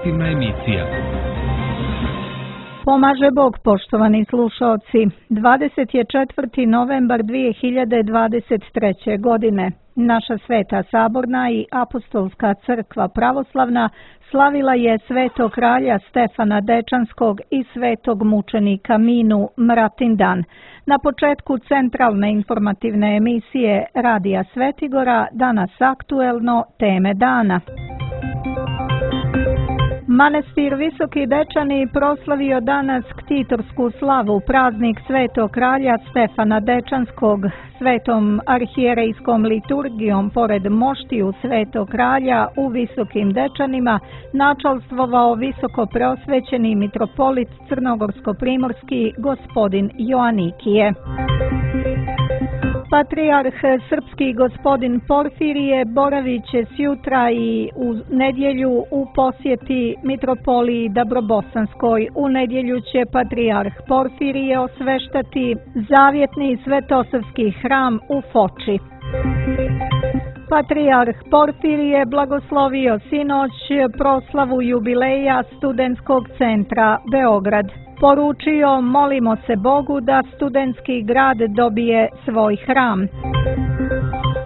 informativna emisija. Pomaže Bog, poštovani slušaoci. 24. novembar 2023. godine. Naša Sveta Saborna i Apostolska crkva pravoslavna slavila je svetog kralja Stefana Dečanskog i svetog mučenika Minu Mratindan. Na početku centralne informativne emisije Radija Svetigora danas aktuelno teme dana. Manastir Visoki Dečani proslavio danas ktitorsku slavu, praznik svetog kralja Stefana Dečanskog. Svetom arhijerejskom liturgijom pored moštiju svetog kralja u Visokim Dečanima načalstvovao visoko preosvećeni mitropolit crnogorsko-primorski gospodin Joanikije. Patrijarh srpski gospodin Porfirije boravit će sjutra i u nedjelju u posjeti mitropoliji Dabrobosanskoj. U nedjelju će patrijarh Porfirije osveštati zavjetni svetosavski hram u Foči. Patrijarh Porfirije blagoslovio sinoć proslavu jubileja Studentskog centra Beograd. Poručio, molimo se Bogu da studentski grad dobije svoj hram.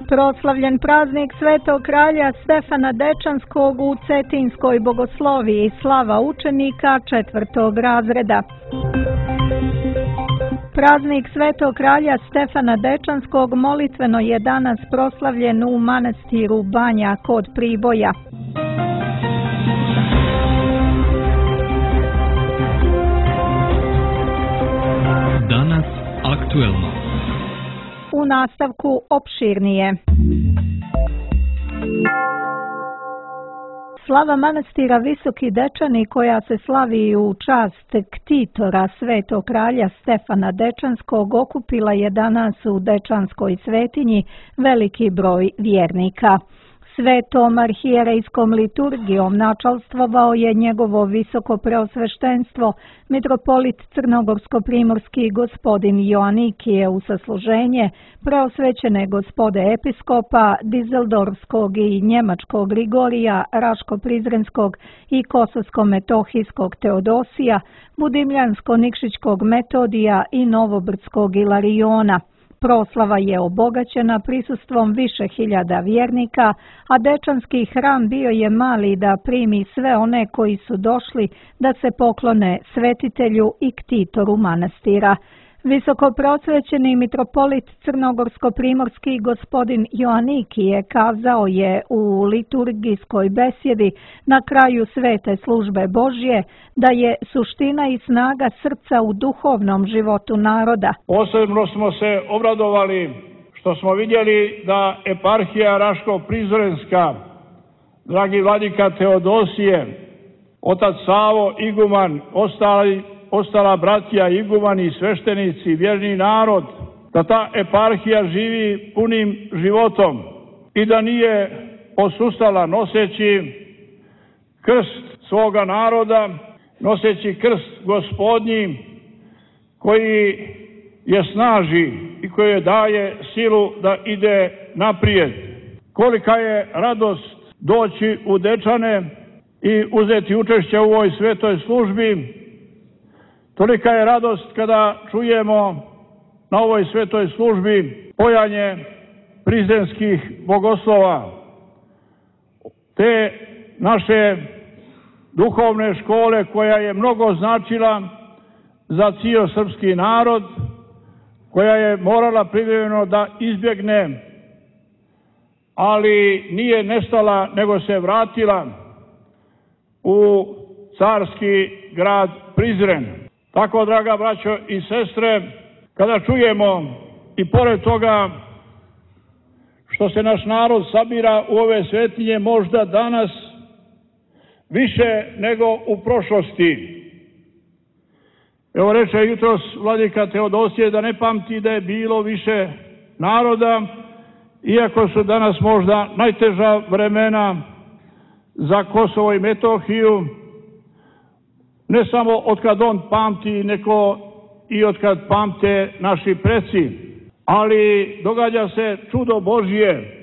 Proslavljen praznik svetog kralja Stefana Dečanskog u Cetinskoj bogosloviji, slava učenika 4. razreda. Praznik svetog kralja Stefana Dečanskog molitveno je danas proslavljen u manastiru Banja kod Priboja. Danas aktuelno. U nastavku opširnije. Slava manastira Visoki Dečani, koja se slavi u čast ktitora svetog kralja Stefana Dečanskog, okupila je danas u Dečanskoj svetinji veliki broj vjernika. Svetom arhijerejskom liturgijom načalstvovao je njegovo visoko preosveštenstvo mitropolit crnogorsko-primorski gospodin Joanikije u sasluženje preosvećene gospode episkopa Dizeldorfskog i njemačkog Grigorija, Raško-Prizrenskog i Kosovsko-metohijskog Teodosija, Budimljansko-Nikšićkog Metodija i Novobrdskog Ilariona. Proslava je obogaćena prisustvom više hiljada vjernika, a Dečanski hram bio je mali da primi sve one koji su došli da se poklone svetitelju i ktitoru manastira. Visoko prosvećeni mitropolit crnogorsko-primorski gospodin Joanikije kazao je u liturgijskoj besjedi na kraju svete službe Božje da je suština i snaga srca u duhovnom životu naroda. Posebno smo se obradovali što smo vidjeli da eparhija Raško-Prizrenska, dragi vladika Teodosije, otac Savo, iguman, ostala bratija, igumani, sveštenici, vjerni narod, da ta eparhija živi punim životom i da nije posustala noseći krst svoga naroda, noseći krst Gospodnji koji je snaži i koji je daje silu da ide naprijed. Kolika je radost doći u Dečane i uzeti učešće u ovoj svetoj službi. Tolika je radost kada čujemo na ovoj svetoj službi pojanje prizrenskih bogoslova, te naše duhovne škole koja je mnogo značila za cijel srpski narod, koja je morala privremeno da izbjegne, ali nije nestala nego se vratila u carski grad Prizren. Tako, draga braćo i sestre, kada čujemo i pored toga što se naš narod sabira u ove svetinje možda danas više nego u prošlosti. Evo reče jutros vladika Teodosije da ne pamti da je bilo više naroda, iako su danas možda najteža vremena za Kosovo i Metohiju, ne samo otkad on pamti, nego i otkad pamte naši preci. Ali događa se čudo Božje,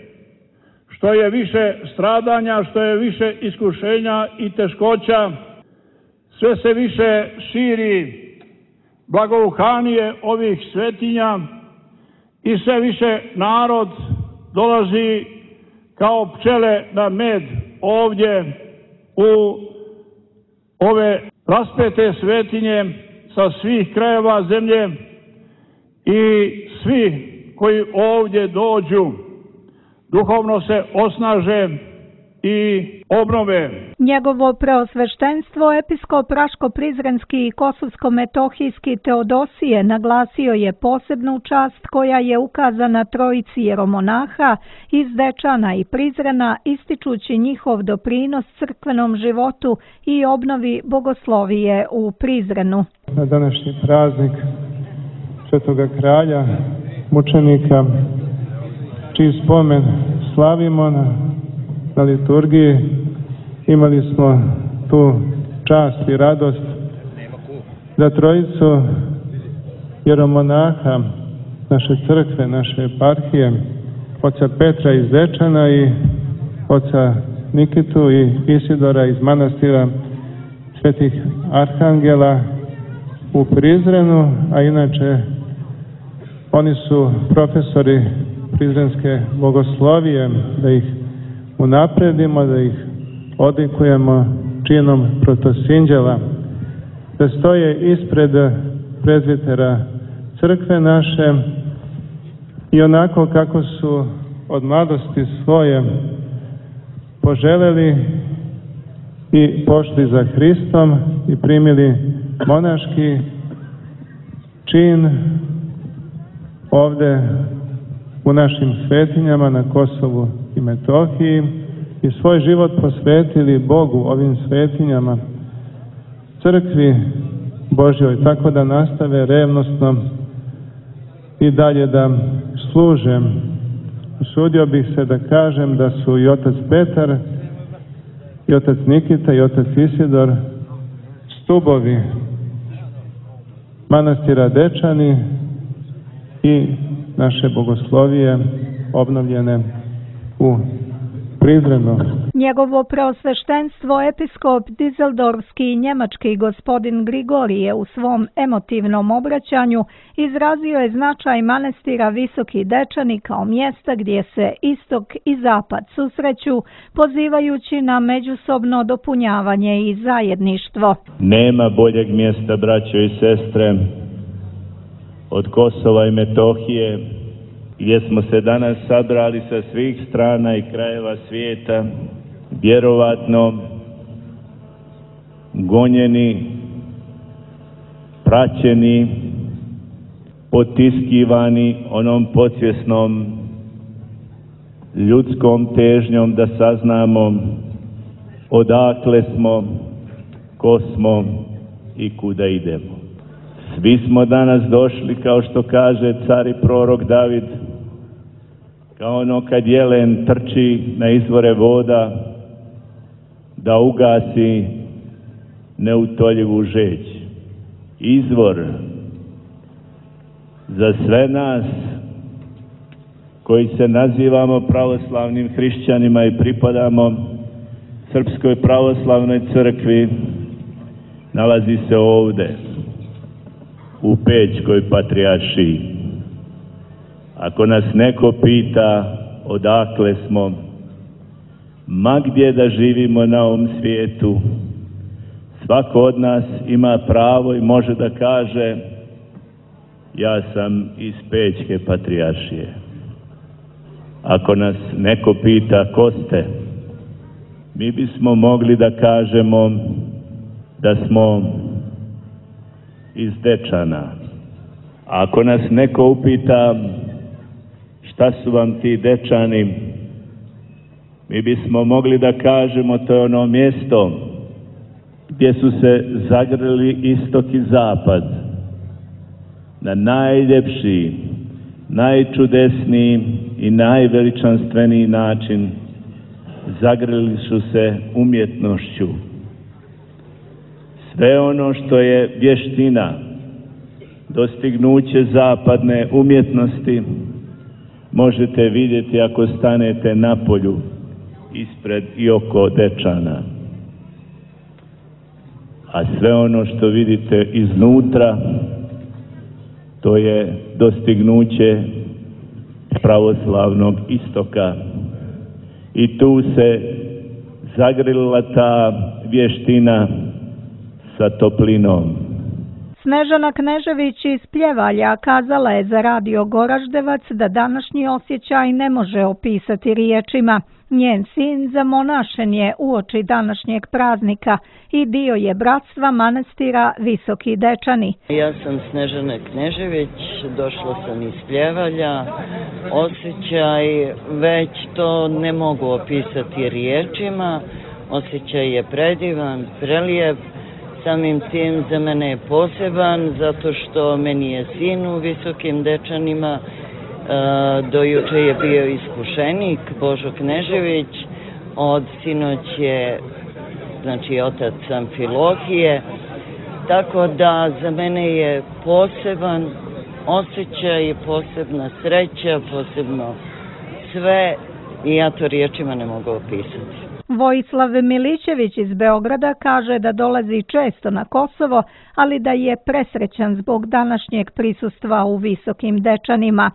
što je više stradanja, što je više iskušenja i teškoća, sve se više širi blagouhanije ovih svetinja i sve više narod dolazi kao pčele na med ovdje u ove raspete svetinje sa svih krajeva zemlje i svi koji ovdje dođu duhovno se osnaže i obnove. Njegovo preosveštenstvo episkop Raško-Prizrenski i Kosovsko-Metohijski Teodosije naglasio je posebnu čast koja je ukazana trojici jeromonaha iz Dečana i Prizrena, ističući njihov doprinos crkvenom životu i obnovi bogoslovije u Prizrenu. Na današnji praznik Svetoga kralja, mučenika, čiji spomen slavimo na liturgiji, imali smo tu čast i radost da trojicu jeromonaha naše crkve, naše eparhije, oca Petra iz Dečana i oca Nikitu i Isidora iz manastira Svetih Arhangela u Prizrenu, a inače oni su profesori prizrenske bogoslovije, da ih unapredimo, da ih odlikujemo činom protosinđela, da stoje ispred prezbitera crkve naše i onako kako su od mladosti svoje poželeli i pošli za Hristom i primili monaški čin ovde u našim svetinjama na Kosovu i Metohiji i svoj život posvetili Bogu ovim svetinjama, crkvi Božjoj, tako da nastave revnosno i dalje da služe. Usudio bih se da kažem da su i otac Petar, i otac Nikita, i otac Isidor stubovi manastira Dečani i naše bogoslovije obnovljene u Prizrenu. Njegovo preosveštenstvo episkop Dizeldorfski i njemački gospodin Grigorije u svom emotivnom obraćanju izrazio je značaj manastira Visoki Dečani kao mjesta gdje se istok i zapad susreću, pozivajući na međusobno dopunjavanje i zajedništvo. Nema boljeg mjesta, braćo i sestre, od Kosova i Metohije, gdje smo se danas sabrali sa svih strana i krajeva svijeta, vjerovatno gonjeni, praćeni, potiskivani onom podsvjesnom ljudskom težnjom da saznamo odakle smo, ko smo i kuda idemo. Svi smo danas došli, kao što kaže car i prorok David, kao ono kad jelen trči na izvore voda, da ugasi neutoljivu žeđ. Izvor za sve nas koji se nazivamo pravoslavnim hrišćanima i pripadamo Srpskoj pravoslavnoj crkvi, nalazi se ovde, u Pećkoj patrijaršiji. Ako nas neko pita odakle smo, ma gdje da živimo na ovom svijetu, svako od nas ima pravo i može da kaže ja sam iz Pećke patrijaršije. Ako nas neko pita ko ste, mi bismo mogli da kažemo da smo iz Dečana. Ako nas neko upita šta su vam ti Dečani, mi bismo mogli da kažemo to je ono mjesto gdje su se zagrlili istok i zapad na najljepši, najčudesniji i najveličanstveniji način. Zagrlili su se umjetnošću. Sve ono što je vještina, dostignuće zapadne umjetnosti, možete vidjeti ako stanete na polju ispred i oko Dečana. A sve ono što vidite iznutra, to je dostignuće pravoslavnog istoka. I tu se zagrlila ta vještina sa toplinom. Snežana Knežević iz Pljevalja kazala je za Radio Goraždevac da današnji osjećaj ne može opisati riječima. Njen sin zamonašen je uoči današnjeg praznika i dio je bratstva manastira Visoki Dečani. Ja sam Snežana Knežević, došla sam iz Pljevalja. Osjećaj, već to ne mogu opisati riječima. Osjećaj je predivan, prelijep. Samim tim za mene je poseban, zato što meni je sin u Visokim Dečanima. Do juče je bio iskušenik Božo Knežević, od sinoć je otac Amfilohije, tako da za mene je poseban osjećaj, posebna sreća, posebno sve i ja to riječima ne mogu opisati. Vojislav Milićević iz Beograda kaže da dolazi često na Kosovo, ali da je presrećan zbog današnjeg prisustva u Visokim Dečanima.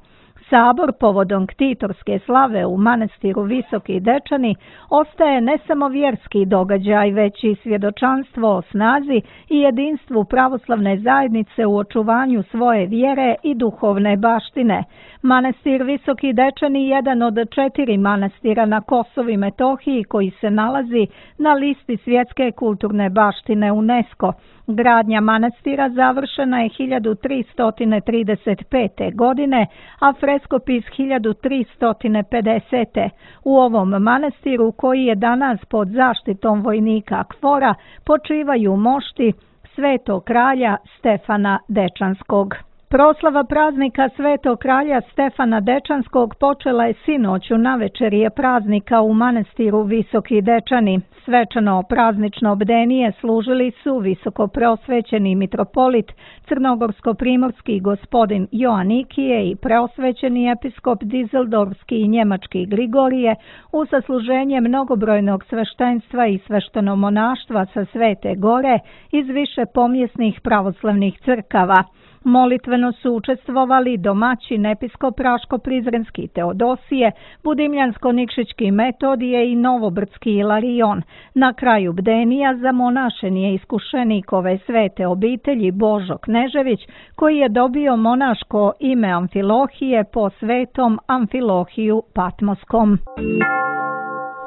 Sabor povodom ktitorske slave u manastiru Visoki Dečani ostaje ne samo vjerski događaj, već i svjedočanstvo o snazi i jedinstvu pravoslavne zajednice u očuvanju svoje vjere i duhovne baštine. Manastir Visoki Dečani je jedan od 4 manastira na Kosovu i Metohiji koji se nalazi na listi svjetske kulturne baštine UNESCO. Gradnja manastira završena je 1335. godine, a freskopis 1350. U ovom manastiru, koji je danas pod zaštitom vojnika KFOR-a, počivaju mošti Svetog kralja Stefana Dečanskog. Proslava praznika Svetog kralja Stefana Dečanskog počela je sinoć u navečerje praznika u manastiru Visoki Dečani. Svečano praznično bdenije služili su visokopreosvećeni mitropolit crnogorsko-primorski gospodin Joanikije i preosvećeni episkop Dizeldorfski i njemački Grigorije u sasluženje mnogobrojnog sveštenstva i sveštenomonaštva sa Svete Gore iz više pomjesnih pravoslavnih crkava. Molitveno su učestvovali domaćin episkop Raško-Prizrenski Teodosije, Budimljansko-Nikšićki Metodije i Novobrdski Ilarion. Na kraju bdenija zamonašen je iskušenik ove svete obitelji Božo Knežević, koji je dobio monaško ime Amfilohije po svetom Amfilohiju Patmoskom.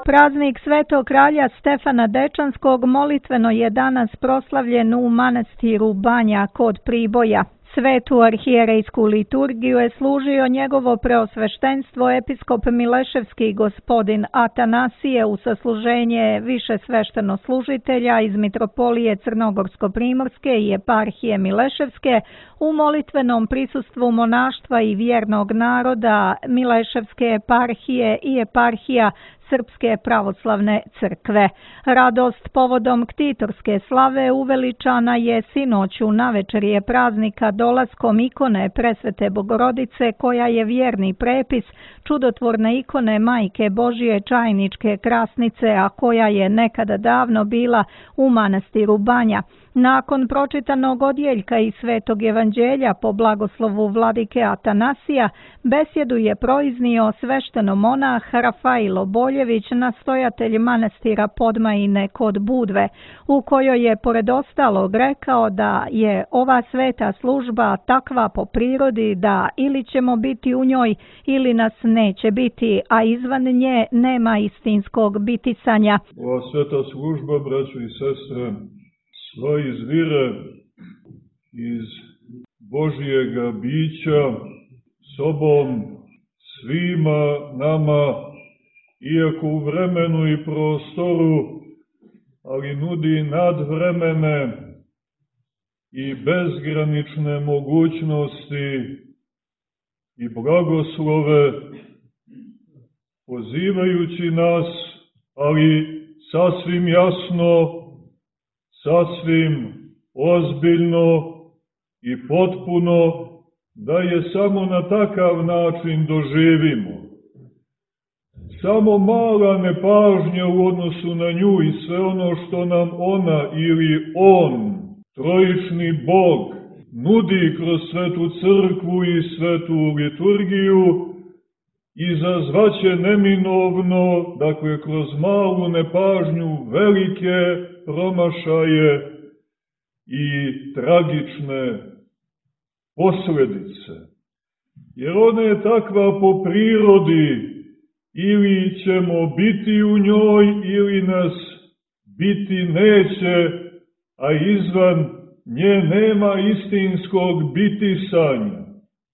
Praznik Svetog kralja Stefana Dečanskog molitveno je danas proslavljen u manastiru Banja kod Priboja. Svetu arhijerejsku liturgiju je služio njegovo preosveštenstvo episkop Mileševski gospodin Atanasije u sasluženje više sveštenoslужitelja iz mitropolije Crnogorsko-primorske i eparhije Mileševske u molitvenom prisustvu monaštva i vjernog naroda Mileševske eparhije i eparhija Srpske pravoslavne crkve. Radost povodom ktitorske slave uveličana je sinoć u navečerje praznika dolaskom ikone Presvete Bogorodice, koja je vjerni prepis čudotvorne ikone Majke Božije Čajničke Krasnice, a koja je nekada davno bila u manastiru Banja. Nakon pročitanog odjeljka iz Svetog evanđelja po blagoslovu vladike Atanasija, besjedu je proiznio sveštenomonah Rafailo Boljević, nastojatelj manastira Podmajine kod Budve, u kojoj je pored ostalog rekao da je ova sveta služba takva po prirodi da ili ćemo biti u njoj ili nas neće biti, a izvan nje nema istinskog bitisanja. Ova sveta služba, braćo i sestre, sva izvire iz Božijega bića, sobom svima nama, iako u vremenu i prostoru, ali nudi nadvremene i bezgranične mogućnosti i blagoslove, pozivajući nas, ali sasvim jasno, sasvim ozbiljno i potpuno da je samo na takav način doživimo. Samo mala nepažnja u odnosu na nju i sve ono što nam ona ili on, trojični Bog, nudi kroz svetu crkvu i svetu liturgiju, izazvaće neminovno, dakle kroz malu nepažnju, velike promašaje i tragične posledice. Jer ona je takva po prirodi, ili ćemo biti u njoj, ili nas biti neće, a izvan nje nema istinskog bitisanja.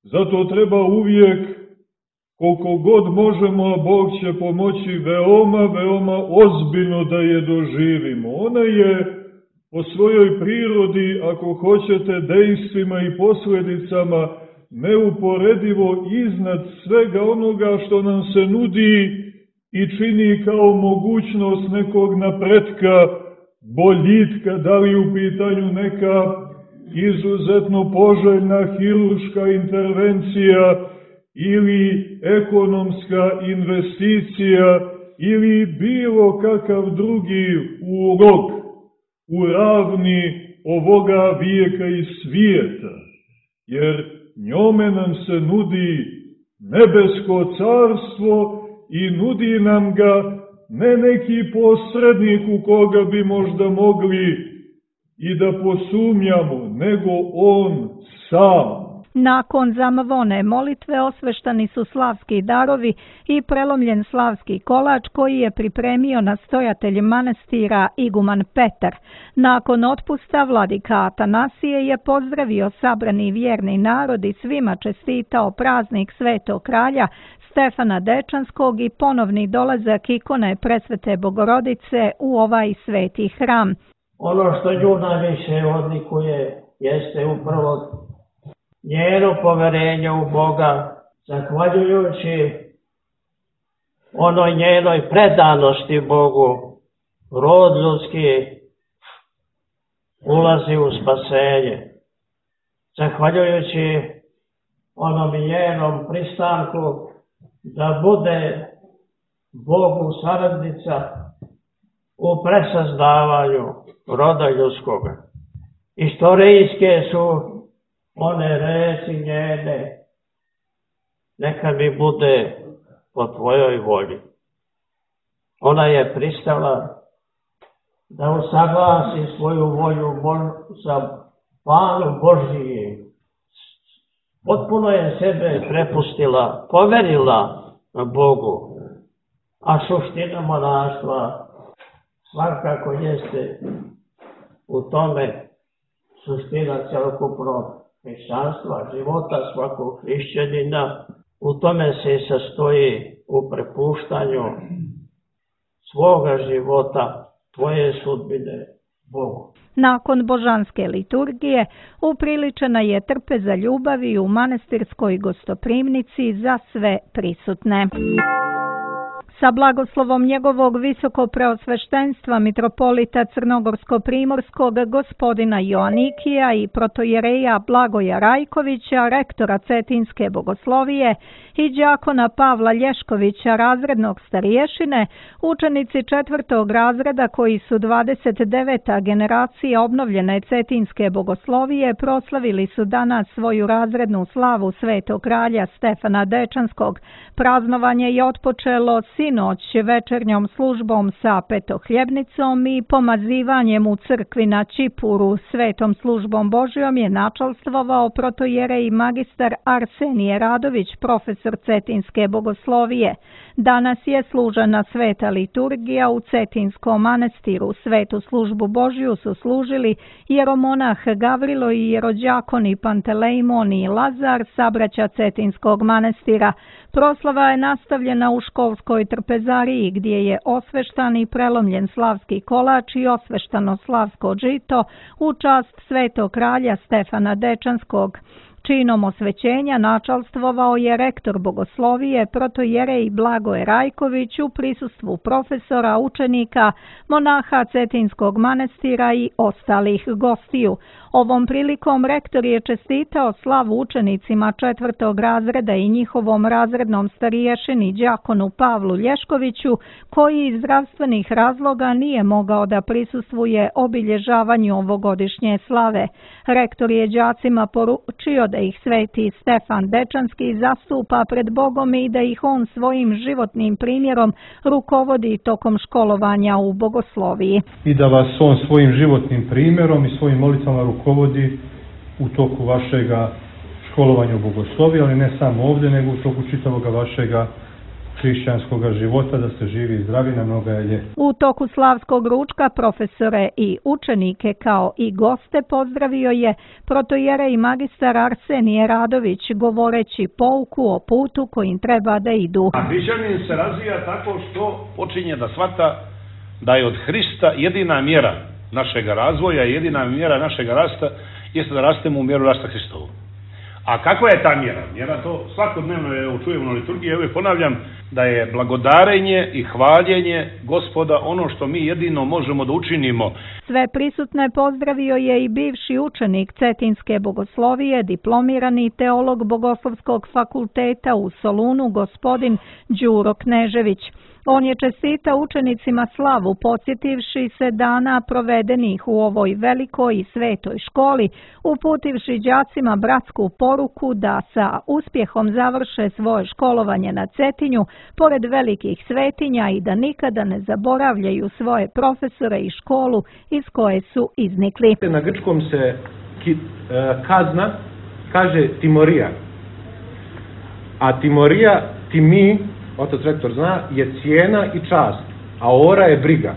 Zato treba uvijek, koliko god možemo, a Bog će pomoći, veoma ozbiljno da je doživimo. Ona je po svojoj prirodi, ako hoćete, dejstvima i posljedicama, neuporedivo iznad svega onoga što nam se nudi i čini kao mogućnost nekog napretka, boljitka, da li u pitanju neka izuzetno poželjna hirurška intervencija ili ekonomska investicija ili bilo kakav drugi ulog u ravni ovoga vijeka i svijeta, jer njome nam se nudi nebesko carstvo i nudi nam ga ne neki posrednik u koga bi možda mogli i da posumnjamo, nego on sam. Nakon zamavone molitve osveštani su slavski darovi i prelomljen slavski kolač koji je pripremio nastojatelj manastira iguman Petar. Nakon otpusta vladika Atanasije je pozdravio sabrani vjerni narod i svima čestitao praznik Svetog kralja Stefana Dečanskog i ponovni dolazak ikone Presvete Bogorodice u ovaj sveti hram. Ono što nju najviše odlikuje jeste upravo njeno poverenje u Boga, zahvaljujući onoj njenoj predanosti Bogu, rod ljudski ulazi u spasenje. Zahvaljujući onom njenom pristanku da bude Bogu saradnica u presazdavanju roda ljudskoga. Istorijske su one reči njene, neka mi bude po tvojoj volji. Ona je pristala da usaglasi svoju volju sa planom Božijim. Potpuno je sebe prepustila, poverila Bogu, a suština monaštva svakako jeste u tome suština celokupnog hrišćanstva, života svakog hrišćanina. U tome se sastoji u prepuštanju svoga života, tvoje sudbine Bogu. Nakon božanske liturgije upriličena je trpeza ljubavi u manastirskoj gostoprimnici za sve prisutne. Sa blagoslovom njegovog visokopreosveštenstva mitropolita Crnogorsko-primorskog gospodina Joanikija i protojereja Blagoja Rajkovića, rektora Cetinske bogoslovije, i đakona Pavla Lješkovića, razrednog starješine, učenici 4. razreda koji su 29. generacija obnovljene Cetinske bogoslovije proslavili su danas svoju razrednu slavu Svetog kralja Stefana Dečanskog. Praznovanje je otpočelo sinoć večernjom službom sa petohljebnicom i pomazivanjem u crkvi na Čipuru. Svetom službom Božjom je načalstvovao protojerej magistar Arsenije Radović, profesor Cetinske bogoslovije. Danas je služena sveta liturgija u Cetinskom manastiru. Svetu službu Božju su služili jeromonah Gavrilo i jerođakoni Pantelejmon i Lazar, sabraća Cetinskog manastira. Proslava je nastavljena u školskoj trpezariji gdje je osveštan i prelomljen slavski kolač i osveštano slavsko žito u čast Svetog kralja Stefana Dečanskog. Činom osvećenja načalstvovao je rektor bogoslovije protojerej Blagoje Rajković u prisustvu profesora, učenika, monaha Cetinskog manastira i ostalih gostiju. Ovom prilikom rektor je čestitao slavu učenicima 4. razreda i njihovom razrednom stariješini đakonu Pavlu Lješkoviću, koji iz zdravstvenih razloga nije mogao da prisustvuje obilježavanju ovogodišnje slave. Rektor je đacima poručio da ih sveti Stefan Dečanski zastupa pred Bogom i da ih on svojim životnim primjerom rukovodi tokom školovanja u bogosloviji. I da vas on svojim životnim primjerom i svojim molitvama rukovodi u toku vašega školovanja u bogosloviji, ali ne samo ovdje, nego u toku čitavoga vašega hrišćanskog života, da ste živi i zdravi na mnogajelje. U toku slavskog ručka profesore i učenike kao i goste pozdravio je protojerej magistar Arsenije Radović, govoreći pouku o putu kojim treba da idu. A hrišćanin se razvija tako što počinje da shvata da je od Hrista jedina mjera našeg razvoja, jedina mjera našeg rasta jeste da rastemo u mjeru rasta Hristovu. A kakva je ta mjera? Mjera to svakodnevno čujemo na liturgiji, ja uvijek ponavljam da je blagodarenje i hvaljenje Gospoda ono što mi jedino možemo da učinimo. Sve prisutne pozdravio je i bivši učenik Cetinske bogoslovije, diplomirani teolog Bogoslovskog fakulteta u Solunu, gospodin Đuro Knežević. On je čestitao učenicima slavu, podsjetivši se dana provedenih u ovoj velikoj i svetoj školi, uputivši đacima bratsku poruku da sa uspjehom završe svoje školovanje na Cetinju, pored velikih svetinja, i da nikada ne zaboravljaju svoje profesore i školu iz koje su iznikli. Na grčkom se kazna kaže timorija, a timorija, timi, otac rektor zna, je cijena i čast, a ora je briga.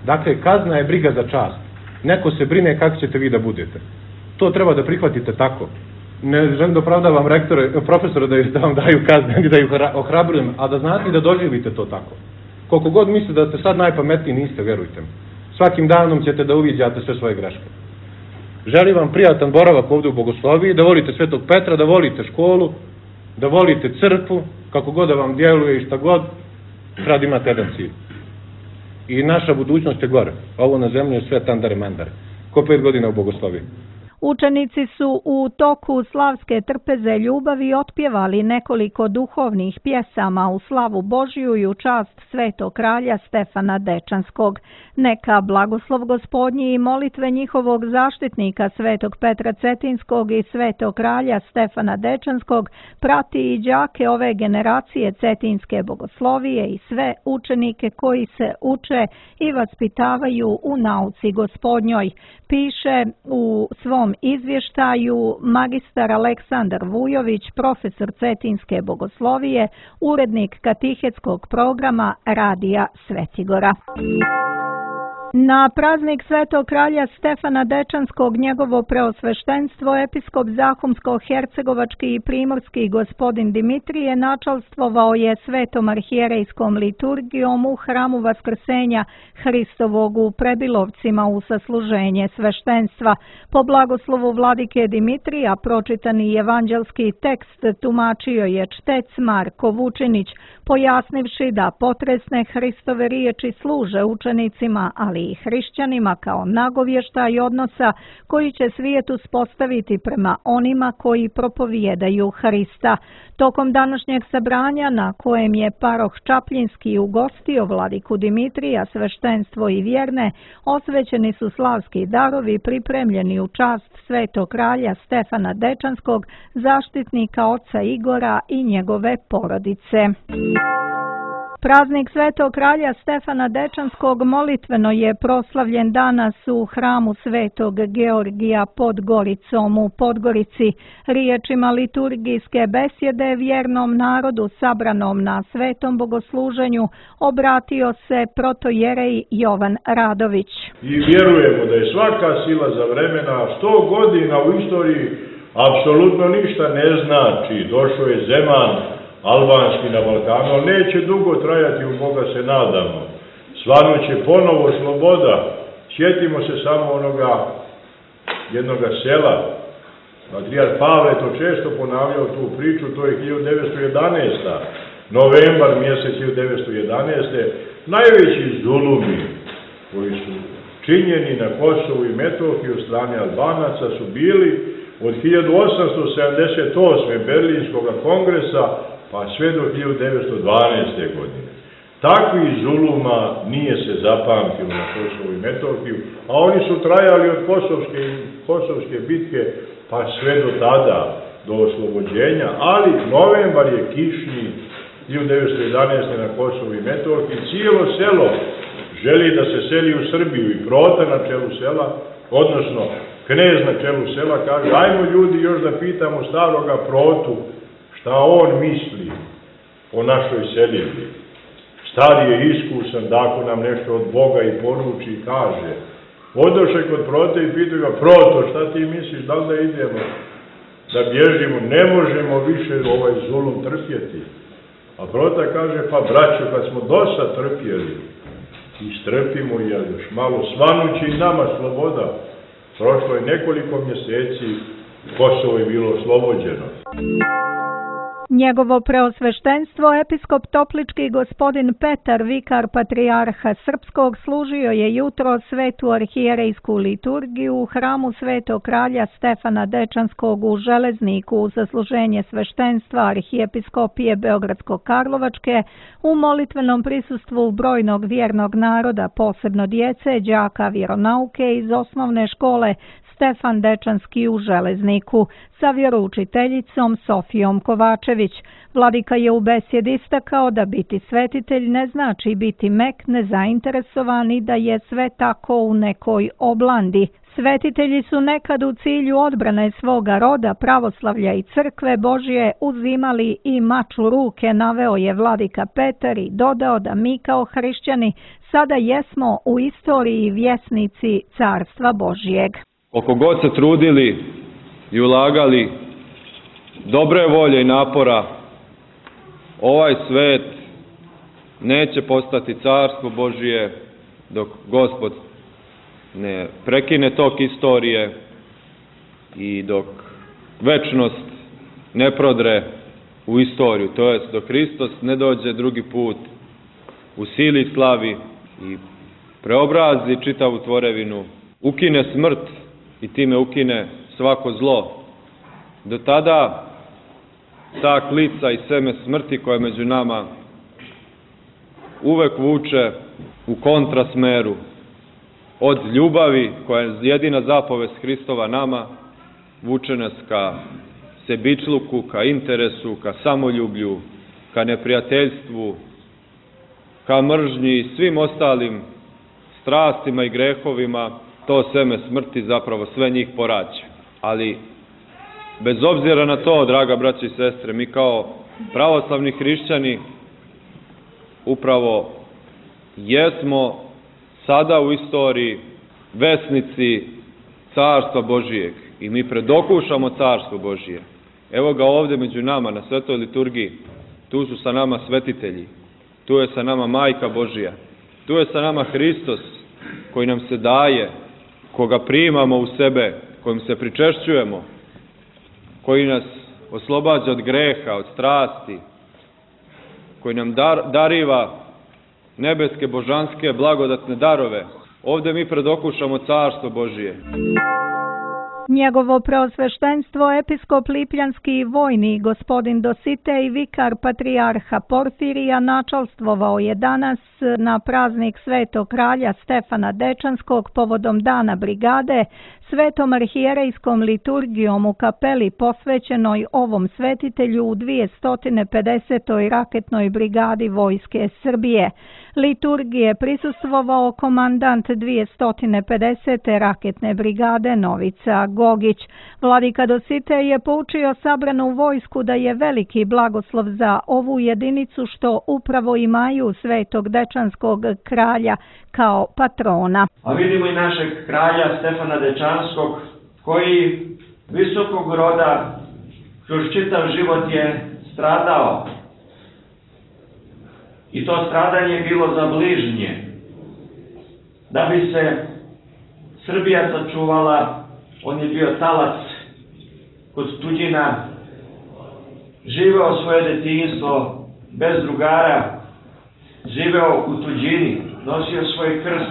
Dakle, kazna je briga za čast. Neko se brine kako ćete vi da budete. To treba da prihvatite tako. Ne želim da opravdavam profesora da vam daju kazne, ni da ih ohrabrujem, a da znate i da doživite to tako. Koliko god mislite da ste sad najpametniji, niste, verujte mi. Svakim danom ćete da uviđate sve svoje greške. Želim vam prijatan boravak ovdje u bogosloviji, da volite Svetog Petra, da volite školu, da volite crkvu, kako god da vam djeluje i šta god, sad imate jedan cilj. I naša budućnost je gore. Ovo na zemlji je sve tandare mandare. Ko 5 godina u bogosloviji. Učenici su u toku slavske trpeze ljubavi otpjevali nekoliko duhovnih pjesama u slavu Božiju i u čast svetog kralja Stefana Dečanskog. Neka blagoslov Gospodnji i molitve njihovog zaštitnika svetog Petra Cetinskog i svetog kralja Stefana Dečanskog prati i đake ove generacije Cetinske bogoslovije i sve učenike koji se uče i vaspitavaju u nauci Gospodnjoj, piše u svom izvještaju magistar Aleksandar Vujović, profesor Cetinske bogoslovije, urednik katehetskog programa Radija Svetigora. Na praznik svetog kralja Stefana Dečanskog njegovo preosveštenstvo episkop Zahumsko-hercegovački i primorski gospodin Dimitrije načalstvovao je svetom arhijerejskom liturgijom u hramu Vaskrsenja Hristovog u Prebilovcima u sasluženje sveštenstva. Po blagoslovu vladike Dimitrija pročitani evanđelski tekst tumačio je čtec Marko Vučinić, pojasnivši da potresne Hristove riječi služe učenicima, ali i hrišćanima kao nagovještaj odnosa koji će svijet uspostaviti prema onima koji propovijedaju Hrista. Tokom današnjeg sabranja, na kojem je paroh Čapljinski ugostio vladiku Dimitrija, sveštenstvo i vjerne, osvećeni su slavski darovi pripremljeni u čast svetog kralja Stefana Dečanskog, zaštitnika oca Igora i njegove porodice. Praznik svetog kralja Stefana Dečanskog molitveno je proslavljen danas u hramu svetog Georgija pod Goricom u Podgorici. Riječima liturgijske besjede vjernom narodu sabranom na svetom bogosluženju obratio se protojerej Jovan Radović. I vjerujemo da je svaka sila za vremena 100 godina u istoriji apsolutno ništa ne znači. Došao je Zeman albanski na Balkanu, ali neće dugo trajati, u Boga se nadamo. Svanuće ponovo sloboda. Sjetimo se samo onoga jednoga sela Patrijarh Pavle to često ponavljao tu priču, to je 1911. Novembar mjesec 1911. Najveći zulumi koji su činjeni na Kosovu i Metohiji od strane Albanaca su bili od 1878. Berlinskog kongresa pa sve do 1912. godine. Takvih zuluma nije se zapamtilo na Kosovu i Metohiju, a oni su trajali od Kosovske bitke pa sve do tada, do oslobođenja, ali novembar je kišni 1911. na Kosovu i Metohiji. Cijelo selo želi da se seli u Srbiju i Prota na čelu sela, odnosno knez na čelu sela kaže, ajmo ljudi još da pitamo staroga Protu šta on misli o našoj seljenju. Stari je iskusan da ako nam nešto od Boga i poruči i kaže. Odoše kod Prote i pitaju ga, Proto, šta ti misliš, da li da idemo, da bježimo, ne možemo više ovaj zulum trpjeti. A Prota kaže, pa braćo, kad smo dosta trpjeli, istrpimo i još malo, svanući i nama sloboda. Prošlo je nekoliko mjeseci, Kosovo je bilo oslobođeno. Njegovo preosveštenstvo, episkop Toplički gospodin Petar, vikar patrijarha Srpskog, služio je jutro svetu arhijerejsku liturgiju u hramu Svetog kralja Stefana Dečanskog u Železniku u zasluženje sveštenstva arhijepiskopije Beogradsko-Karlovačke u molitvenom prisustvu brojnog vjernog naroda, posebno djece, đaka vjeronauke iz osnovne škole Stefan Dečanski u Železniku sa vjeroučiteljicom Sofijom Kovačević. Vladika je u besjedi istakao da biti svetitelj ne znači biti mek, nezainteresovan i da je sve tako u nekoj oblandi. Svetitelji su nekad u cilju odbrane svoga roda, pravoslavlja i crkve Božje uzimali i mač u ruke, naveo je vladika Petar i dodao da mi kao hrišćani sada jesmo u istoriji vjesnici Carstva Božjeg. Koliko god se trudili i ulagali dobre volje i napora, ovaj svet neće postati Carstvo Božje dok Gospod ne prekine tok istorije i dok večnost ne prodre u istoriju, to jest dok Hristos ne dođe drugi put u sili i slavi i preobrazi čitavu tvorevinu, ukine smrt i time ukine svako zlo. Do tada ta klica i seme smrti koja među nama uvek vuče u kontrasmeru od ljubavi koja je jedina zapovest Hristova nama, vuče nas ka sebičluku, ka interesu, ka samoljublju, ka neprijateljstvu, ka mržnji i svim ostalim strastima i grehovima. To seme smrti zapravo sve njih porađa. Ali bez obzira na to, draga braća i sestre, mi kao pravoslavni hrišćani upravo jesmo sada u istoriji vesnici Carstva Božijeg i mi predokušamo Carstvo Božije. Evo ga ovdje među nama na svetoj liturgiji, tu su sa nama svetitelji, tu je sa nama Majka Božija, tu je sa nama Hristos koji nam se daje, koga primamo u sebe, kojim se pričešćujemo, koji nas oslobađa od greha, od strasti, koji nam dariva nebeske, božanske, blagodatne darove. Ovdje mi predokušamo Carstvo Božije. Njegovo preosveštenstvo, episkop Lipljanski i vojni gospodin Dositej, vikar patrijarha Porfirija, načalstvovao je danas na praznik Svetog kralja Stefana Dečanskog povodom Dana brigade svetom arhijerejskom liturgijom u kapeli posvećenoj ovom svetitelju u 250. raketnoj brigadi Vojske Srbije. Liturgije prisustvovao komandant 250. raketne brigade Novica Gogić. Vladika Dositej je poučio sabranu vojsku da je veliki blagoslov za ovu jedinicu što upravo imaju Svetog Dečanskog kralja kao patrona. A vidimo i našeg kralja Stefana Dečanskog koji visokog roda kroz čitav život je stradao. I to stradanje je bilo za bližnje. Da bi se Srbija sačuvala, on je bio talac kod tuđina, živeo svoje detinjstvo bez drugara, živeo u tuđini, nosio svoj krst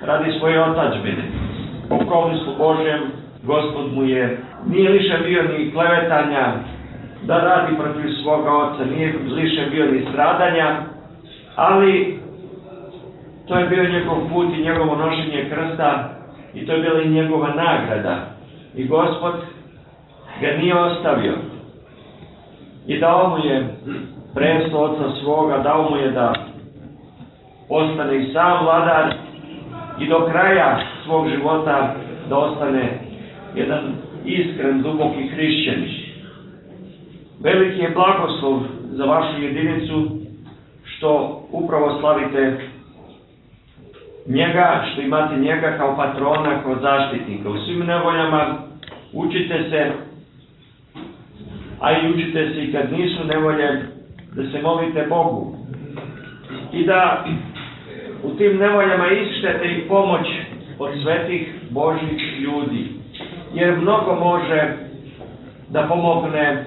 radi svoje otadžbine. Po promislu Božjem, Gospod mu nije liše bio ni klevetanja da radi protiv svoga oca, nije liše bio ni stradanja, ali to je bio njegov put i njegovo nošenje krsta i to je bila i njegova nagrada. I Gospod ga nije ostavio i dao mu je presto oca svoga, dao mu je da ostane i sam vladar i do kraja svog života da ostane jedan iskren, duboki hrišćanin. Veliki je blagoslov za vašu jedinicu što upravo slavite njega, što imate njega kao patrona, kao zaštitnika. U svim nevoljama učite se, a i učite se i kad nisu nevolje, da se molite Bogu i da u tim nevoljama ističete i pomoć od svetih Božjih ljudi, jer mnogo može da pomogne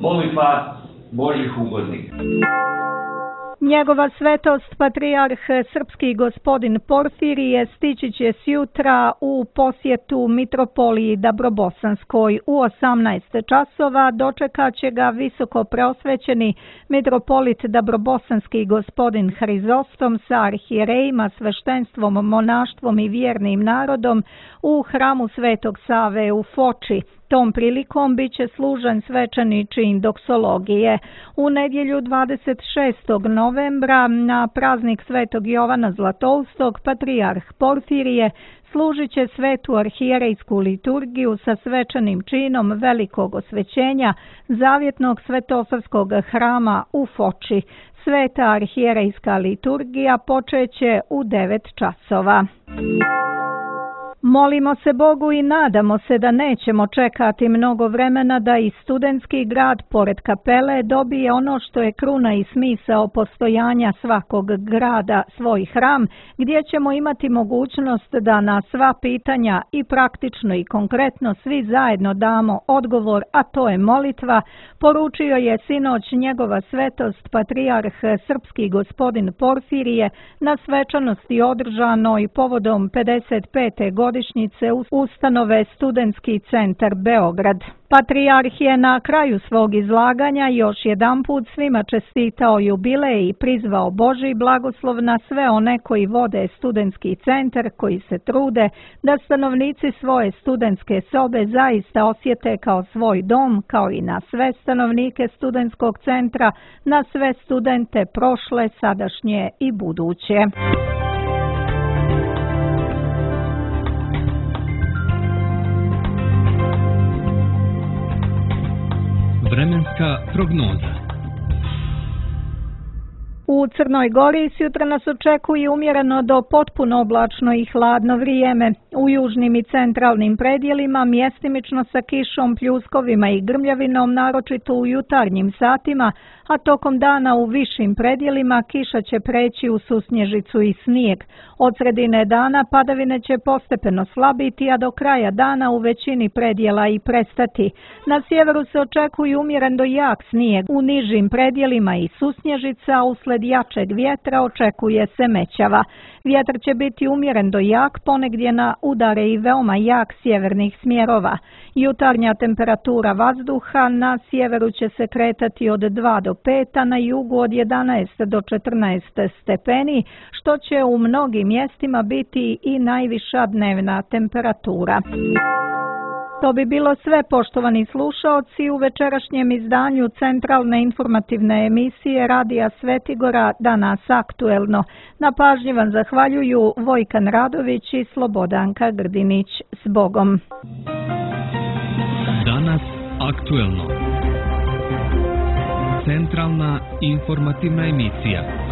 molitva Božjih ugodnika. Njegova svetost, patrijarh srpski gospodin Porfirije, stići će sjutra u posjetu mitropoliji Dabrobosanskoj u 18 časova. Dočekat će ga visoko preosvećeni mitropolit Dabrobosanski gospodin Hrizostom sa arhijerejima, sveštenstvom, monaštvom i vjernim narodom u hramu Svetog Save u Foči. Tom prilikom bit će služen svečani čin doksologije. U nedjelju 26. novembra na praznik Svetog Jovana Zlatoustog patrijarh Porfirije služit će svetu arhijerejsku liturgiju sa svečanim činom velikog osvećenja Zavjetnog svetosavskog hrama u Foči. Sveta arhijerejska liturgija počeće u 9 časova. Molimo se Bogu i nadamo se da nećemo čekati mnogo vremena da i studentski grad pored kapele dobije ono što je kruna i smisao postojanja svakog grada, svoj hram, gdje ćemo imati mogućnost da na sva pitanja i praktično i konkretno svi zajedno damo odgovor, a to je molitva, poručio je sinoć njegova svetost patrijarh srpski gospodin Porfirije na svečanosti održanoj povodom 55. godišnjice ustanove Studentski centar Beograd. Patrijarh je na kraju svog izlaganja još jedanput svima čestitao jubilej i prizvao Božji blagoslov na sve one koji vode Studentski centar, koji se trude da stanovnici svoje studentske sobe zaista osjete kao svoj dom, kao i na sve stanovnike Studentskog centra, na sve studente prošle, sadašnje i buduće. Vremenska prognoza. U Crnoj Gori sutra nas očekuje umjereno do potpuno oblačno i hladno vrijeme. U južnim i centralnim predjelima mjestimično sa kišom, pljuskovima i grmljavinom, naročito u jutarnjim satima, a tokom dana u višim predjelima kiša će preći u susnježicu i snijeg. Od sredine dana padavine će postepeno slabiti, a do kraja dana u većini predjela i prestati. Na sjeveru se očekuje umjeren do jak snijeg, u nižim predjelima i susnježica, usled jačeg vjetra očekuje se mećava. Vjetar će biti umjeren do jak, ponegdje na udare i veoma jak sjevernih smjerova. Jutarnja temperatura vazduha na sjeveru će se kretati od 2 do 5, a na jugu od 11 do 14 stepeni, što će u mnogim mjestima biti i najviša dnevna temperatura. To bi bilo sve, poštovani slušaoci, u večerašnjem izdanju centralne informativne emisije Radija Svetigora Danas aktuelno. Na pažnji vam zahvaljuju Vojkan Radović i Slobodanka Grdinić. S Bogom. Danas aktuelno. Centralna informativna emisija.